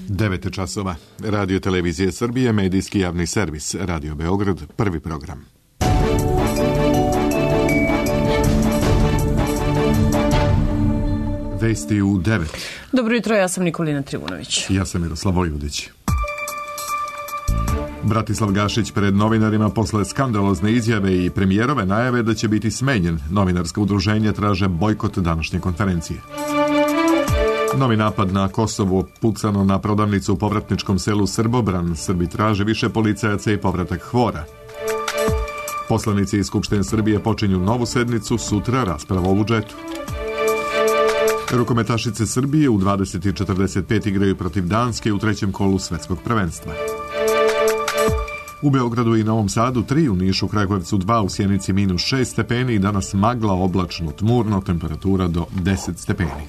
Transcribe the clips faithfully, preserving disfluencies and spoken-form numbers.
devet časova. Radio Televizije Srbije, medijski javni servis. Radio Beograd, prvi program. Vesti u devet. Dobro jutro, ja sam Nikolina Trivunović. Ja sam Miroslav Vojvodić. Bratislav Gašić pred novinarima posle skandalozne izjave i premijerove najave da će biti smenjen. Novinarska udruženja traže bojkot današnje konferencije. Novi napad na Kosovo, pucano na prodavnicu u povratničkom selu Srbobran. Srbi traže više policajaca i povratak Hvora. Poslanici iz Skupštine Srbije počinju novu sednicu, sutra rasprava o budžetu. Rukometašice Srbije u dvadeset i četrdeset pet igraju protiv Danske u trećem kolu svetskog prvenstva. U Beogradu i Novom Sadu tri, u Nišu, Kragujevcu dva, u Sjenici minus šest stepeni i danas magla, oblačno, tmurno, temperatura do deset stepeni.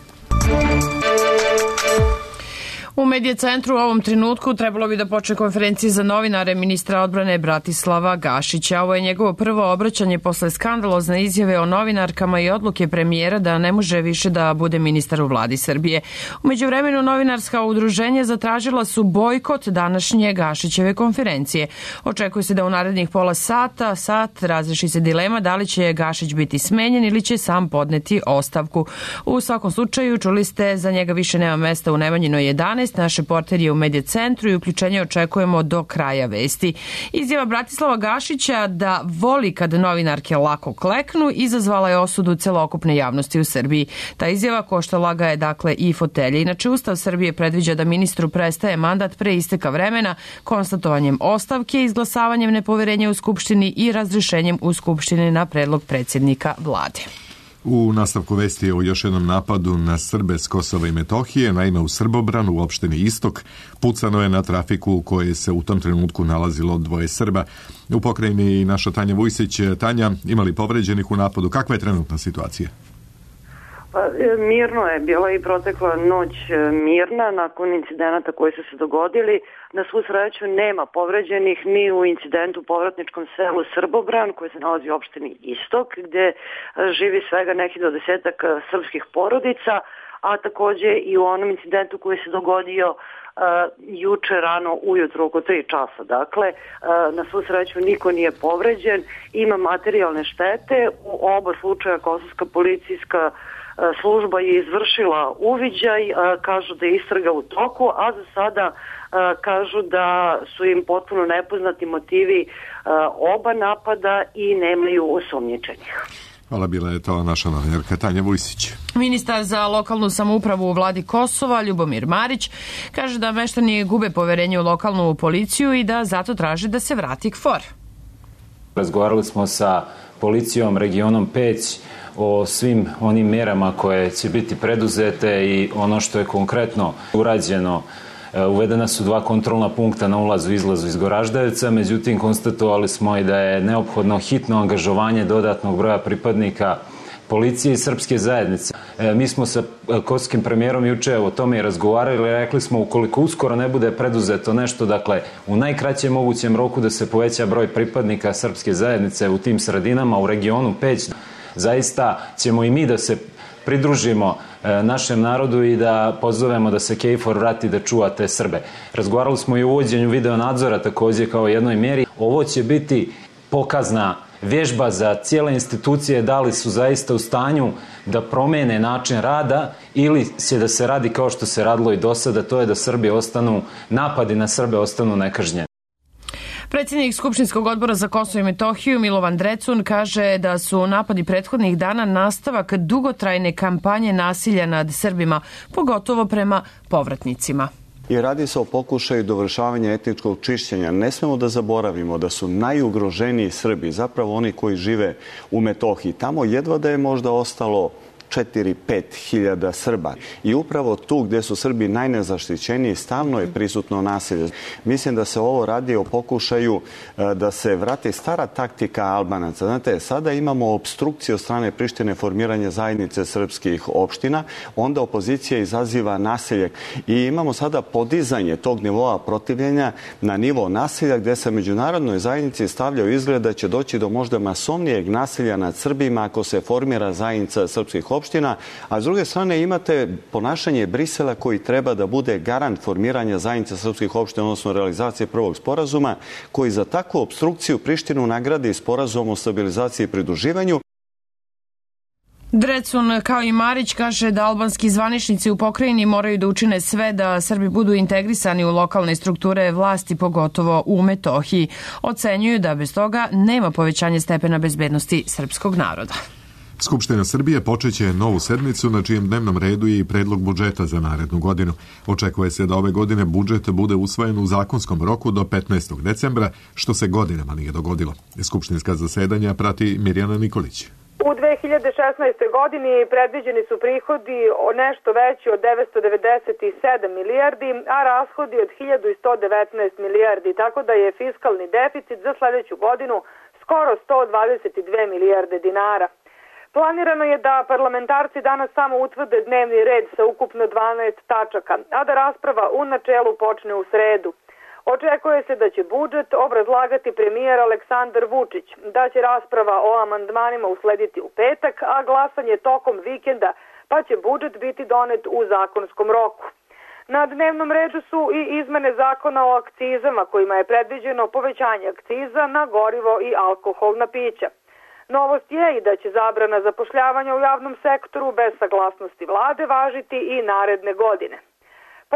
U Medija centru u ovom trenutku trebalo bi da počne konferencija za novinare ministra odbrane Bratislava Gašića. Ovo je njegovo prvo obraćanje posle skandalozne izjave o novinarkama i odluke premijera da ne može više da bude ministar u vladi Srbije. U međuvremenu novinarska udruženja zatražila su bojkot današnje Gašićeve konferencije. Očekuje se da u narednih pola sata, sat razreši se dilema da li će Gašić biti smenjen ili će sam podneti ostavku. U svakom slučaju, čuli ste, za njega više nema mesta u Nemanjinoj jedanaest. Naš reporter je u Medija centru i uključenje očekujemo do kraja vesti. Izjava Bratislava Gašića da voli kad novinarke lako kleknu izazvala je osudu celokupne javnosti u Srbiji. Ta izjava koštala ga je dakle i fotelje. Inače, Ustav Srbije predviđa da ministru prestaje mandat pre isteka vremena konstatovanjem ostavke, izglasavanjem nepoverenja u Skupštini i razrešenjem u Skupštini na predlog predsjednika vlade. U nastavku vesti o još jednom napadu na Srbe s Kosova i Metohije, naime u Srbobranu u opštini Istok, pucano je na trafiku u kojoj se u tom trenutku nalazilo dvoje Srba. U pokrajini naša Tanja Vujsić. Tanja, imali povređenih u napadu? Kakva je trenutna situacija? Pa, mirno je bila i protekla noć mirna nakon incidenata koji su se dogodili. Na svu sreću nema povređenih ni u incidentu u povratničkom selu Srbobran koji se nalazi u opštini Istok gde živi svega nekih do desetak srpskih porodica, a takođe i u onom incidentu koji se dogodio uh, juče rano ujutro oko tri časa. Dakle, uh, na svu sreću niko nije povređen, ima materijalne štete. U oba slučaja kosovska policijska služba je izvršila uviđaj, kažu da je istraga u toku, a za sada kažu da su im potpuno nepoznati motivi oba napada i nemaju osumnjičenih. Hvala, bila je to naša novinarka Tanja Vujsić. Ministar za lokalnu samoupravu u vladi Kosova, Ljubomir Marić, kaže da meštani gube poverenje u lokalnu policiju i da zato traže da se vrati KFOR. Razgovarali smo sa policijom regionom Peć o svim onim merama koje će biti preduzete i ono što je konkretno urađeno. Uvedena su dva kontrolna punkta na ulazu i izlazu iz Goraždevca, međutim konstatovali smo i da je neophodno hitno angažovanje dodatnog broja pripadnika policije i srpske zajednice. Mi smo sa kosovskim premijerom juče o tome i razgovarali, rekli smo ukoliko uskoro ne bude preduzeto nešto, dakle u najkraćem mogućem roku da se poveća broj pripadnika srpske zajednice u tim sredinama, u regionu Peć, zaista ćemo i mi da se pridružimo našem narodu i da pozovemo da se KFOR vrati da čuva te Srbe. Razgovarali smo i o uvođenju video nadzora takođe kao jednoj meri. Ovo će biti pokazna vježba za cijele institucije da li su zaista u stanju da promene način rada ili će da se radi kao što se radilo i do sada, to je da Srbi ostanu, napadi na Srbe ostanu nekažnjeni. Predsjednik Skupštinskog odbora za Kosovo i Metohiju Milovan Drecun kaže da su napadi prethodnih dana nastavak dugotrajne kampanje nasilja nad Srbima, pogotovo prema povratnicima. I radi se o pokušaju dovršavanja etničkog čišćenja. Ne smemo da zaboravimo da su najugroženiji Srbi, zapravo oni koji žive u Metohiji. Tamo jedva da je možda ostalo četiri pet hiljada Srba. I upravo tu gdje su Srbi najnezaštićeniji stalno je prisutno nasilje. Mislim da se ovo radi o pokušaju da se vrati stara taktika Albanaca. Znate, sada imamo obstrukciju od strane Prištine formiranje zajednice srpskih opština, onda opozicija izaziva nasilje i imamo sada podizanje tog nivoa protivljenja na nivo nasilja gdje se međunarodnoj zajednici stavlja u izgled da će doći do možda masovnijeg nasilja nad Srbima ako se formira zajednica srpskih opština opština, a s druge strane imate ponašanje Brisela koji treba da bude garant formiranja zajednice srpskih opština, odnosno realizacije prvog sporazuma, koji za takvu opstrukciju Prištinu nagradi sporazum o stabilizaciji i pridruživanju. Drecun, kao i Marić, kaže da albanski zvaničnici u pokrajini moraju da učine sve da Srbi budu integrisani u lokalne strukture vlasti, pogotovo u Metohiji. Ocenjuju da bez toga nema povećanja stepena bezbednosti srpskog naroda. Skupština Srbije počeće novu sednicu na čijem dnevnom redu je i predlog budžeta za narednu godinu. Očekuje se da ove godine budžet bude usvojen u zakonskom roku do petnaestog decembra, što se godinama nije dogodilo. Skupštinska zasedanja prati Mirjana Nikolić. U dve hiljade šesnaestoj. godini predviđeni su prihodi o nešto veći od devetsto devedeset sedam milijardi, a rashodi od hiljadu sto devetnaest milijardi, tako da je fiskalni deficit za sledeću godinu skoro sto dvadeset dve milijarde dinara. Planirano je da parlamentarci danas samo utvrde dnevni red sa ukupno dvanaest tačaka, a da rasprava u načelu počne u sredu. Očekuje se da će budžet obrazlagati premijer Aleksandar Vučić, da će rasprava o amandmanima uslediti u petak, a glasanje tokom vikenda, pa će budžet biti donet u zakonskom roku. Na dnevnom redu su i izmene zakona o akcizama, kojima je predviđeno povećanje akciza na gorivo i alkoholna pića. Novost je i da će zabrana zapošljavanja u javnom sektoru bez saglasnosti vlade važiti i naredne godine.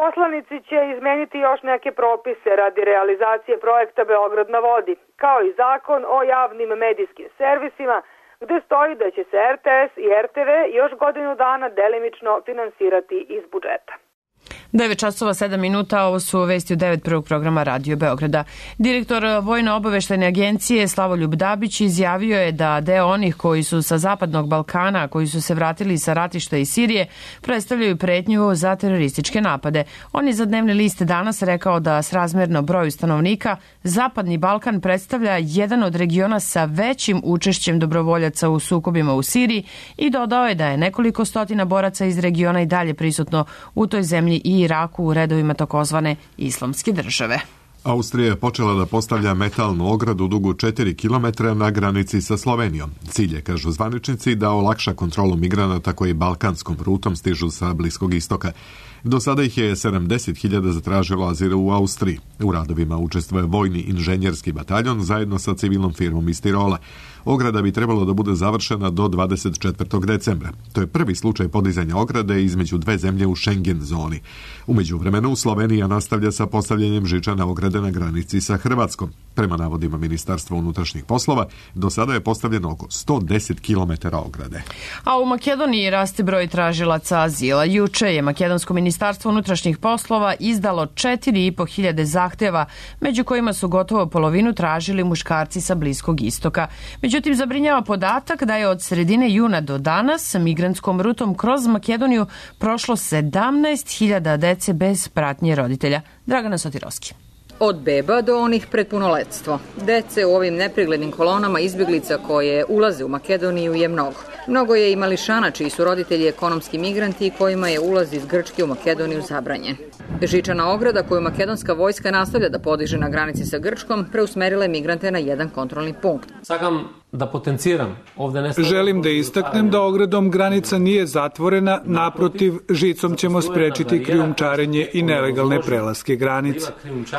Poslanici će izmeniti još neke propise radi realizacije projekta Beograd na vodi, kao i zakon o javnim medijskim servisima, gde stoji da će se er te es i er te ve još godinu dana delimično finansirati iz budžeta. devet časova sedam minuta, ovo su vesti u devet prvog programa Radio Beograda. Direktor Vojno-obaveštajne agencije Slavoljub Dabić izjavio je da deo onih koji su sa Zapadnog Balkana, koji su se vratili sa ratišta iz Sirije, predstavljaju pretnju za terorističke napade. On je za dnevni list danas rekao da srazmerno broju stanovnika Zapadni Balkan predstavlja jedan od regiona sa većim učešćem dobrovoljaca u sukobima u Siriji i dodao je da je nekoliko stotina boraca iz regiona i dalje prisutno u toj zemlji i Iraku u redovima takozvane islamske države. Austrija je počela da postavlja metalnu ogradu dugu četiri kilometra na granici sa Slovenijom. Cilj je, kažu zvaničnici, da olakša kontrolu migranata koji balkanskom rutom stižu sa Bliskog istoka. Do sada ih je sedamdeset hiljada zatražilo azil u Austriji. U radovima učestvuje vojni inženjerski bataljon zajedno sa civilnom firmom iz Tirola. Ograda bi trebalo da bude završena do dvadeset četvrtog decembra. To je prvi slučaj podizanja ograde između dve zemlje u Schengen zoni. U međuvremenu Slovenija nastavlja sa postavljanjem žičane ograde na granici sa Hrvatskom. Prema navodima Ministarstva unutrašnjih poslova, do sada je postavljeno oko sto deset kilometara ograde. A u Makedoniji raste broj tražilaca azila. Juče je Makedonsko ministarstvo unutrašnjih poslova izdalo četiri i po hiljade zahteva, među kojima su gotovo polovinu tražili muškarci sa Bliskog istoka. Međutim, zabrinjava podatak da je od sredine juna do danas migrantskom rutom kroz Makedoniju prošlo sedamnaest hiljada dece bez pratnje roditelja. Dragana Sotirovski. Od beba do onih pred punoletstvo. Dece u ovim nepreglednim kolonama izbjeglica koje ulaze u Makedoniju je mnogo. Mnogo je i mališana čiji su roditelji ekonomski migranti i kojima je ulaz iz Grčke u Makedoniju zabranjen. Žičana ograda koju makedonska vojska nastavlja da podiže na granici sa Grčkom preusmerila je migrante na jedan kontrolni punkt. Sakam da potenciram. Ovde ne Želim da istaknem da ogradom granica nije zatvorena, naprotiv, žicom ćemo sprečiti krijumčarenje i nelegalne prelaske granice.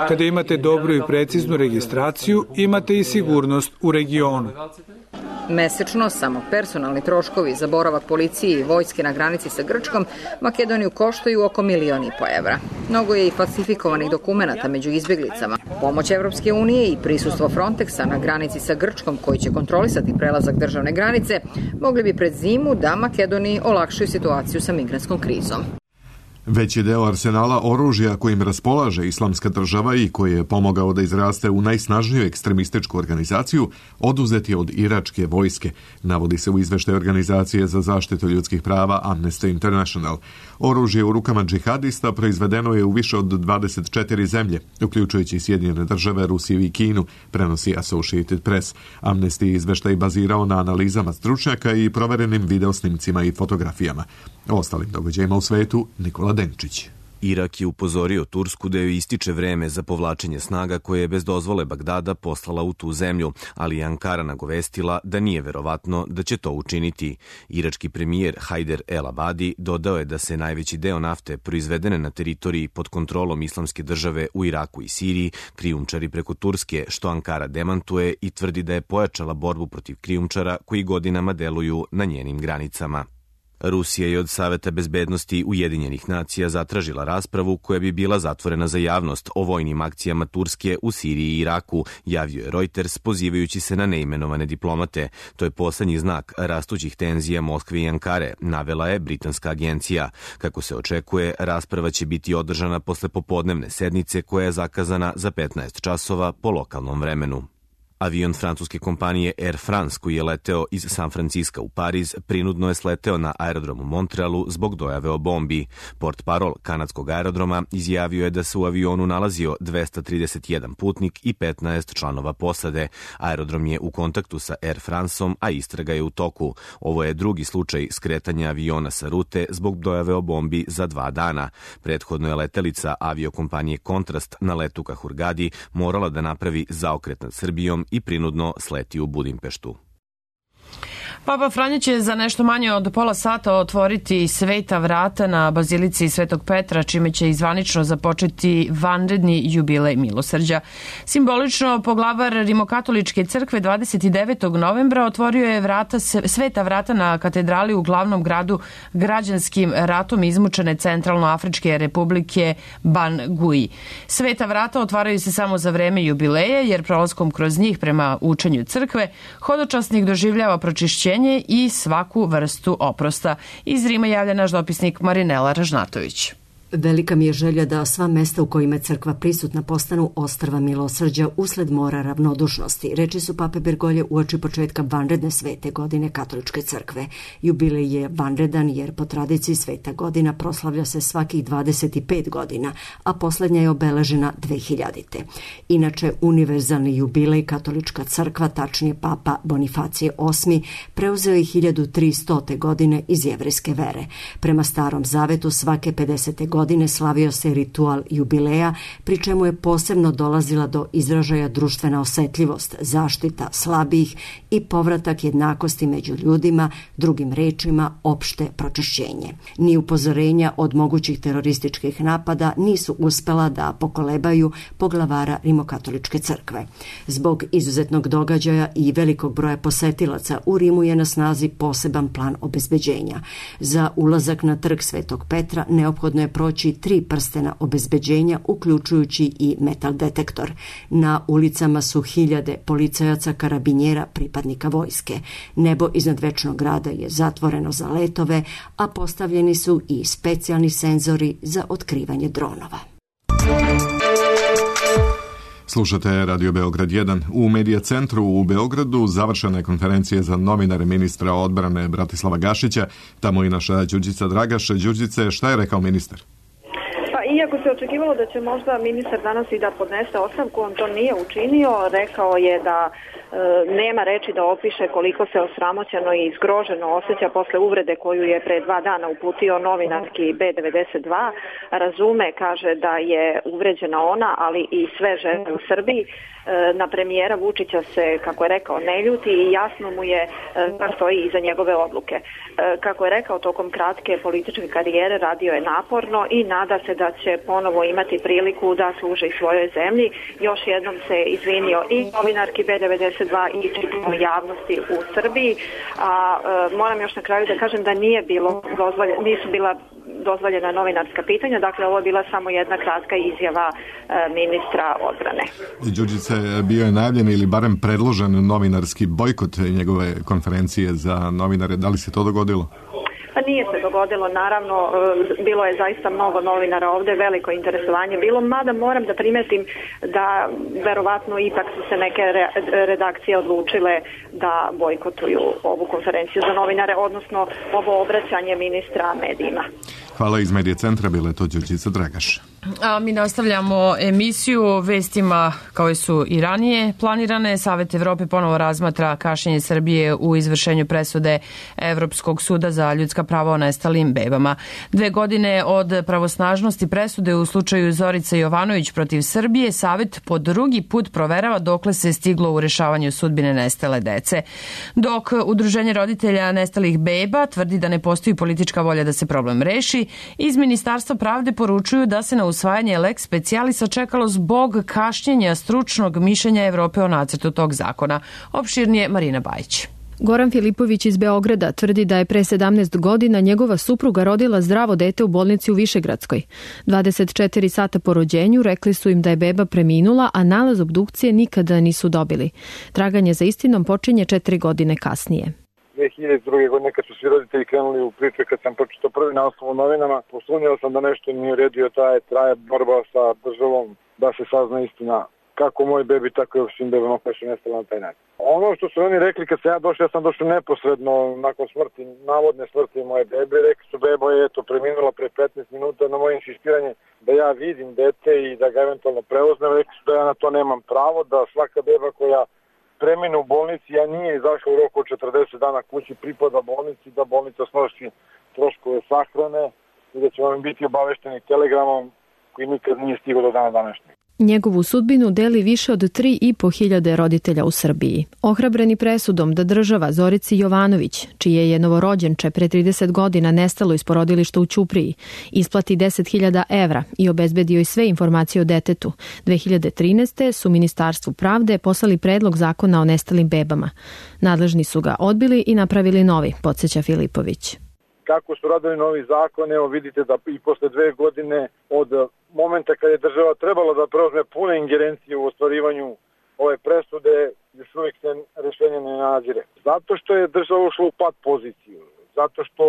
Kada imate dobru i preciznu registraciju, imate i sigurnost u regionu. Mesečno samo personalni troškovi za boravak policije i vojske na granici sa Grčkom Makedoniju koštaju oko milion i po evra. Mnogo je i falsifikovanih dokumenata među izbjeglicama. Pomoć Evropske unije i prisustvo Frontexa na granici sa Grčkom koji će kontrolisati prelazak državne granice mogli bi pred zimu da Makedoniji olakšaju situaciju sa migrantskom krizom. Veći deo arsenala oružja kojim raspolaže Islamska država i koji je pomogao da izraste u najsnažniju ekstremističku organizaciju, oduzet je od iračke vojske, navodi se u izveštaju Organizacije za zaštitu ljudskih prava Amnesty International. Oružje u rukama džihadista proizvedeno je u više od dvadeset četiri zemlje, uključujući Sjedinjene države, Rusiju i Kinu, prenosi Associated Press. Amnesty izveštaj bazirao na analizama stručnjaka i proverenim videosnimcima i fotografijama. O ostalim događajima u svetu Nikola Denčić. Irak je upozorio Tursku da joj ističe vreme za povlačenje snaga koje je bez dozvole Bagdada poslala u tu zemlju, ali je Ankara nagovestila da nije verovatno da će to učiniti. Irački premijer Hajder El Abadi dodao je da se najveći deo nafte proizvedene na teritoriji pod kontrolom Islamske države u Iraku i Siriji krijumčari preko Turske, što Ankara demantuje i tvrdi da je pojačala borbu protiv krijumčara koji godinama deluju na njenim granicama. Rusija je od Saveta bezbednosti Ujedinjenih nacija zatražila raspravu koja bi bila zatvorena za javnost o vojnim akcijama Turske u Siriji i Iraku, javio je Reuters pozivajući se na neimenovane diplomate. To je poslednji znak rastućih tenzija Moskve i Ankare, navela je britanska agencija. Kako se očekuje, rasprava će biti održana posle popodnevne sednice koja je zakazana za petnaest časova po lokalnom vremenu. Avion francuske kompanije Air France koji je leteo iz San Franciska u Pariz prinudno je sleteo na aerodromu Montrealu zbog dojave o bombi. Portparol kanadskog aerodroma izjavio je da se u avionu nalazio dvesta trideset jedan putnik i petnaest članova posade. Aerodrom je u kontaktu sa Air Franceom, a istraga je u toku. Ovo je drugi slučaj skretanja aviona sa rute zbog dojave o bombi za dva dana. Prethodno je letelica aviokompanije Kontrast na letu ka Hurgadi morala da napravi zaokret nad Srbijom i prinudno sleti u Budimpeštu. Papa Franja će za nešto manje od pola sata otvoriti sveta vrata na Bazilici Svetog Petra, čime će izvanično započeti vanredni jubilej milosrđa. Simbolično, poglavar Rimokatoličke crkve dvadeset devetog novembra otvorio je vrata, sveta vrata na katedrali u glavnom gradu građanskim ratom izmučene Centralnoafričke republike Bangui. Sveta vrata otvaraju se samo za vreme jubileja, jer prolaskom kroz njih prema učenju crkve hodočasnik doživljava pročišćenje i svaku vrstu oprosta. Iz Rima javlja naš dopisnik Marinela Ražnatović. Velika mi je želja da sva mesta u kojima je crkva prisutna postanu ostrva milosrđa usled mora ravnodušnosti, reči su pape Bergolje uoči početka vanredne svete godine Katoličke crkve. Jubilej je vanredan jer po tradiciji sveta godina proslavlja se svakih dvadeset pet godina, a poslednja je obeležena dve hiljadite. Inače, univerzalni jubilej Katolička crkva, tačnije papa Bonifacije osmi, preuzeo je hiljadu tristote godine iz jevrejske vere. Prema Starom zavetu svake pedesete godine godine slavio se ritual jubileja, pri čemu je posebno dolazila do izražaja društvena osetljivost, zaštita slabijih i povratak jednakosti među ljudima, drugim rečima opšte pročišćenje. Ni upozorenja od mogućih terorističkih napada nisu uspela da pokolebaju poglavara Rimokatoličke crkve. Zbog izuzetnog događaja i velikog broja posetilaca u Rimu je na snazi poseban plan obezbeđenja. Za ulazak na trg Svetog Petra neophodno je proći tri prstena obezbeđenja, uključujući i metal detektor. Na ulicama su hiljade policajaca, karabinjera, pripadnika vojske. Nebo iznad Večnog grada je zatvoreno za letove, a postavljeni su i specijalni senzori za otkrivanje dronova. Slušate Radio Beograd jedan. U Medija centru u Beogradu završena je konferencija za novinare ministra odbrane Bratislava Gašića. Tamo i naša Đurđica Dragaš. Đurđice, šta je rekao ministar? Iako se očekivalo da će možda ministar danas i da podnese ostavku, on to nije učinio. Rekao je da e, nema reči da opiše koliko se osramoćeno i zgroženo osjeća posle uvrede koju je pre dva dana uputio novinarki B devedeset dva. Razume, kaže, da je uvređena ona, ali i sve žene u Srbiji. Na premijera Vučića se, kako je rekao, ne ljuti i jasno mu je da stoji iza njegove odluke. Kako je rekao, tokom kratke političke karijere radio je naporno i nada se da će ponovo imati priliku da služi svojoj zemlji. Još jednom se izvinio i novinarki B devedeset dva i čitavoj javnosti u Srbiji. A moram još na kraju da kažem da nije bilo dozvoljeno, nisu bila dozvoljena novinarska pitanja, dakle ovo je bila samo jedna kratka izjava e, ministra odbrane. Đurđice, bio je najavljen ili barem predložen novinarski bojkot njegove konferencije za novinare, da li se to dogodilo? Pa nije se dogodilo, naravno, bilo je zaista mnogo novinara ovde, veliko interesovanje bilo, mada moram da primetim da verovatno ipak su se neke redakcije odlučile da bojkotuju ovu konferenciju za novinare, odnosno ovo obraćanje ministra medijima. Hvala, iz Medija centra, bila je to Đurđica Dragaš. A mi nastavljamo emisiju vestima kao su i ranije planirane. Savet Evrope ponovo razmatra kašnjenje Srbije u izvršenju presude Evropskog suda za ljudska prava o nestalim bebama. Dve godine od pravosnažnosti presude u slučaju Zorice Jovanović protiv Srbije, Savet po drugi put proverava dokle se stiglo u rešavanju sudbine nestale dece. Dok Udruženje roditelja nestalih beba tvrdi da ne postoji politička volja da se problem reši, iz Ministarstva pravde poručuju da se na usvajanje lex specialisa čekalo zbog kašnjenja stručnog mišljenja Evrope o nacrtu tog zakona. Opširnije Marina Bajić. Goran Filipović iz Beograda tvrdi da je pre sedamnaest godina njegova supruga rodila zdravo dete u bolnici u Višegradskoj. dvadeset četiri sata po rođenju rekli su im da je beba preminula, a nalaz obdukcije nikada nisu dobili. Traganje za istinom počinje četiri godine kasnije. dve hiljade druge. godine kad su svi roditelji krenuli u priče, kad sam počito prvi naslov u novinama, posumnjao sam da nešto nije uredio, traje, traje borba sa državom da se sazna istina kako moj bebi, tako i svim bebama koje su nestale na taj način. Ono što su oni rekli kad sam ja došao, ja sam došao neposredno nakon smrti, navodne smrti moje bebe, rekli su beba je eto preminula pre petnaest minuta, na moje insistiranje da ja vidim dete i da ga eventualno preuzmem, rekli su da ja na to nemam pravo, da svaka beba koja premine u bolnici, ja nije izašao u roku od četrdeset dana kući, pripada bolnici, da bolnica snosi troškove sahrane i da ćemo im biti obavešteni telegramom koji nikad nije stigao do dana današnjeg. Njegovu sudbinu deli više od tri i po hiljade roditelja u Srbiji. Ohrabreni presudom da država Zorici Jovanović, čije je novorođenče pre trideset godina nestalo iz porodilišta u Ćupriji, isplati deset hiljada evra i obezbedio i sve informacije o detetu, dve hiljade trinaeste. su Ministarstvu pravde poslali predlog zakona o nestalim bebama. Nadležni su ga odbili i napravili novi, podsjeća Filipović. Kako su radili novi zakon, evo vidite da i posle dve godine od momenta kad je država trebala da preuzme pune ingerencije u ostvarivanju ove presude, još uvijek se rešenje ne nadzire. Zato što je država ušla u pad poziciju, zato što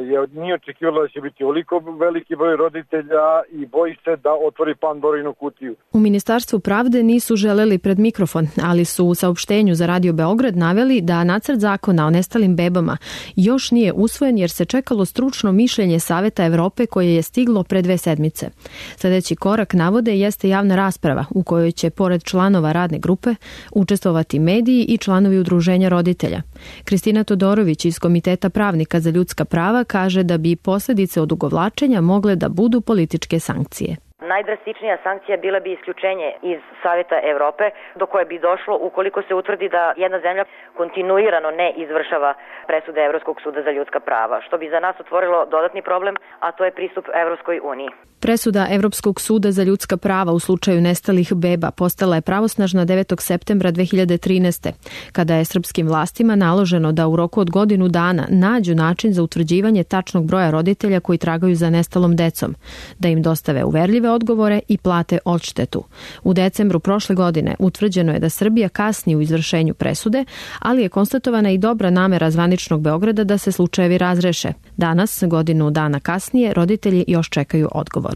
je nije očekivala da će biti oliko veliki broj roditelja i boji se da otvori Pandorinu kutiju. U Ministarstvu pravde nisu želeli pred mikrofon, ali su u saopštenju za Radio Beograd naveli da nacrt zakona o nestalim bebama još nije usvojen jer se čekalo stručno mišljenje Saveta Evrope koje je stiglo pre dve sedmice. Sljedeći korak, navode, jeste javna rasprava u kojoj će pored članova radne grupe učestvovati mediji i članovi udruženja roditelja. Kristina Todorović iz Komiteta pravnika za ljudska prava kaže da bi posljedice odugovlačenja mogle da budu političke sankcije. Najdrastičnija sankcija bila bi isključenje iz Saveta Evrope, do koje bi došlo ukoliko se utvrdi da jedna zemlja kontinuirano ne izvršava presude Evropskog suda za ljudska prava, što bi za nas otvorilo dodatni problem, a to je pristup Evropskoj uniji. Presuda Evropskog suda za ljudska prava u slučaju nestalih beba postala je pravosnažna devetog septembra dve hiljade trinaeste. kada je srpskim vlastima naloženo da u roku od godinu dana nađu način za utvrđivanje tačnog broja roditelja koji tragaju za nestalom decom, da im dostave uverljive odgovore i plate odštetu. U decembru prošle godine utvrđeno je da Srbija kasni u izvršenju presude, ali je konstatovana i dobra namera zvaničnog Beograda da se slučajevi razreše. Danas, godinu dana kasnije, roditelji još čekaju odgovor.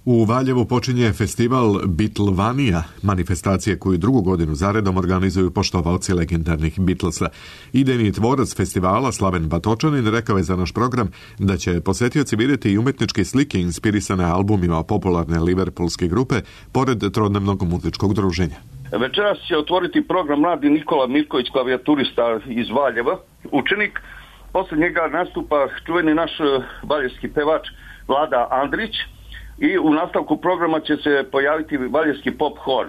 U Valjevu počinje festival Beatlevanija, manifestacije koju drugu godinu zaredom organizuju poštovalci legendarnih Beatlesa. Idejni tvorac festivala, Slaven Batočanin, rekao je za naš program da će posetioci vidjeti i umetničke slike inspirisane albumima popularne liverpoolske grupe, pored trodnevnog muzičkog druženja. Večeras će otvoriti program mladi Nikola Mirković, klavijaturista iz Valjeva, učenik. Posle njega nastupa čuveni naš valjevski pevač Vlada Andrić. I u nastavku programa će se pojaviti valjevski pop hor.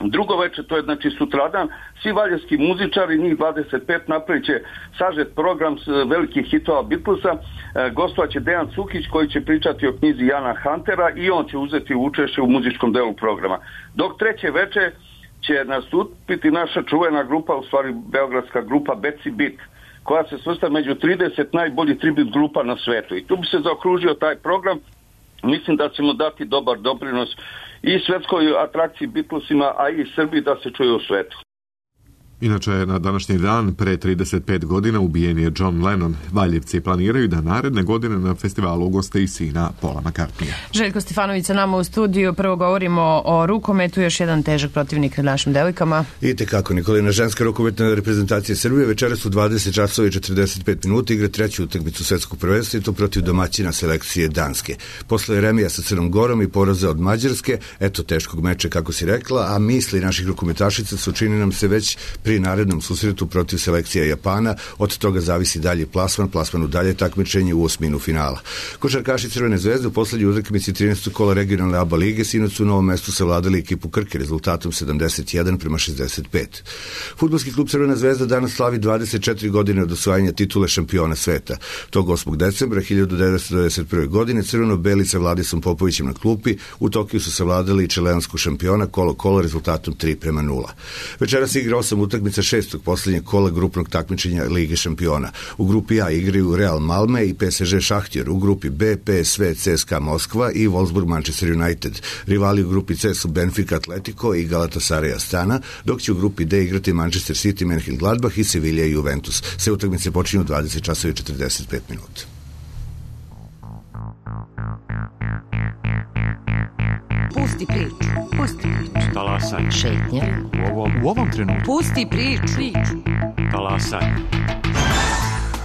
Drugo večer, to je znači sutradan, svi valjevski muzičari, njih dvadeset pet, napravit će sažet program s velikih hitova Beatlesa. E, gostovat će Dejan Cukić koji će pričati o knjizi Jana Huntera i on će uzeti učešće u muzičkom delu programa. Dok treće večer će nastupiti naša čuvena grupa, u stvari beogradska grupa Betsy Beat, koja se svrsta među trideset najboljih tribut grupa na svetu. I tu bi se zaokružio taj program. Mislim da ćemo dati dobar doprinos i svetskoj atrakciji Beatlesima, a i Srbiji da se čuje u svetu. Inače, na današnji dan, pre trideset pet godina, ubijen je John Lennon. Valjevci planiraju da naredne godine na festivalu ugoste i sina Paula McCartneya. Željko Stefanović sa nama u studiju. Prvo govorimo o rukometu, još jedan težak protivnik našim devojkama. I tekako, Nikolina, ženska rukometna reprezentacija Srbije večeras u dvadeset časova i četrdeset pet minuta igra treću utakmicu svetskog prvenstva i to protiv domaćina selekcije Danske. Posle remija sa Crnom Gorom i poraza od Mađarske, eto teškog meča kako si rekla, a misli naših rukometašica su, čini nam se, već pri narednom susretu protiv selekcija Japana. Od toga zavisi dalje plasman, plasman u dalje takmičenje u osminu finala. Košarkaši Crvene zvezde u poslednjoj utakmici trinaestog kola regionalne A B A lige sinoć su u Novom Mestu savladali ekipu Krke rezultatom sedamdeset jedan prema šezdeset pet. Fudbalski klub Crvena zvezda danas slavi dvadeset četiri godine od osvajanja titule šampiona sveta. Tog osmog decembra hiljadu devetsto devedeset prve. godine crveno-beli sa Vladisom Popovićem na klupi u Tokiju su savladali i čileansku šampiona kolo-kolo rezultatom tri prema nula. Večeras igra osam utakmica šestog poslednjeg kola grupnog takmičenja Lige šampiona. U grupi A igraju Real Malme i P S G Šahtjer, u grupi B P S V C S K A Moskva i Wolfsburg Manchester United. Rivali u grupi C su Benfica Atletico i Galatasaray Astana, dok će u grupi D igrati Manchester City, Mönchengladbach i Sevilla i Juventus. Sve utakmice počinju u dvadeset časova i četrdeset pet minuta. Pusti priču, pusti priču. Talasaj. Šetnja. U ovom, u ovom trenutku. Pusti priču. Talasaj.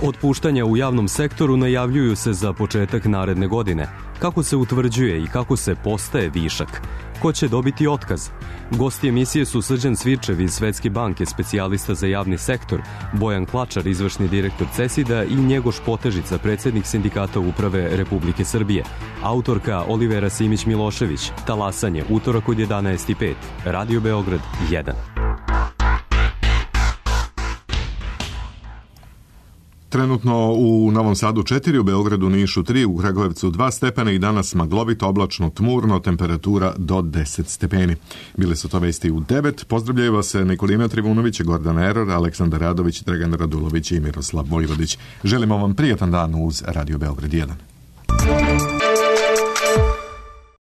Otpuštanja u javnom sektoru najavljuju se za početak naredne godine. Kako se utvrđuje i kako se postaje višak? Ko će dobiti otkaz? Gosti emisije su Srđan Svirčev iz Svetske banke, specijalista za javni sektor, Bojan Klačar, izvršni direktor CESID-a i Njegoš Potežica, predsednik Sindikata uprave Republike Srbije. Autorka Olivera Simić-Milošević. Talasanje, utorak od jedanaest i pet. Radio Beograd jedan. Trenutno u Novom Sadu četiri, u Beogradu, Nišu tri, u Kragujevcu dva stepena i danas maglovito, oblačno, tmurno, temperatura do deset stepeni. Bile su to vesti u devet. Pozdravljaju vas Nikolina Trivunović, Gordan Eror, Aleksandar Radović, Dragan Radulović i Miroslav Vojvodić. Želimo vam prijatan dan uz Radio Beograd jedan.